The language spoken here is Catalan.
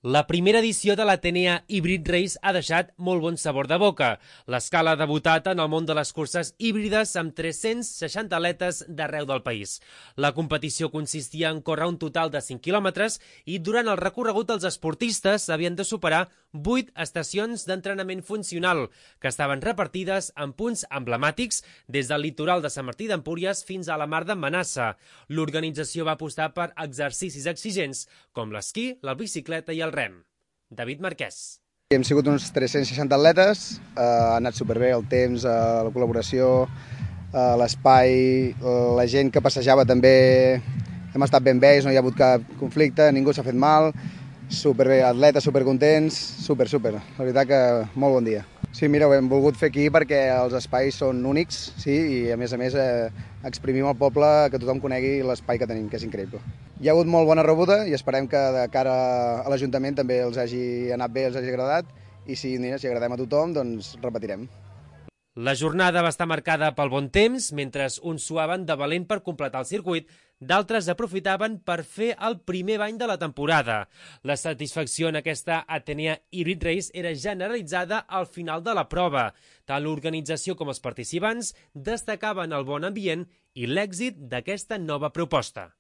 La primera edició de l'Atenea Hybrid Race ha deixat molt bon sabor de boca. L'escala ha debutat en el món de les curses híbrides amb 360 atletes d'arreu del país. La competició consistia en córrer un total de 5 quilòmetres i durant el recorregut els esportistes havien de superar 8 estacions d'entrenament funcional que estaven repartides en punts emblemàtics des del litoral de Sant Martí d'Empúries fins a la mar d'Emmanassa. L'organització va apostar per exercicis exigents com l'esquí, la bicicleta i el rem. David Marquès. Hem sigut uns 360 atletes, ha anat superbé el temps, la col·laboració, l'espai, la gent que passejava també hem estat ben vells, no hi ha hagut cap conflicte, ningú s'ha fet mal, superbé, atletes supercontents, super. La veritat que molt bon dia. Sí, mira, ho hem volgut fer aquí perquè els espais són únics, sí, i a més exprimim al poble que tothom conegui l'espai que tenim, que és increïble. Hi ha hagut molt bona rebuda i esperem que de cara a l'Ajuntament també els hagi anat bé, els hagi agradat, i si agradem a tothom, doncs repetirem. La jornada va estar marcada pel bon temps, mentre uns suaven de valent per completar el circuit, d'altres aprofitaven per fer el primer bany de la temporada. La satisfacció en aquesta Atenea Hybrid Race era generalitzada al final de la prova. Tant l'organització com els participants destacaven el bon ambient i l'èxit d'aquesta nova proposta.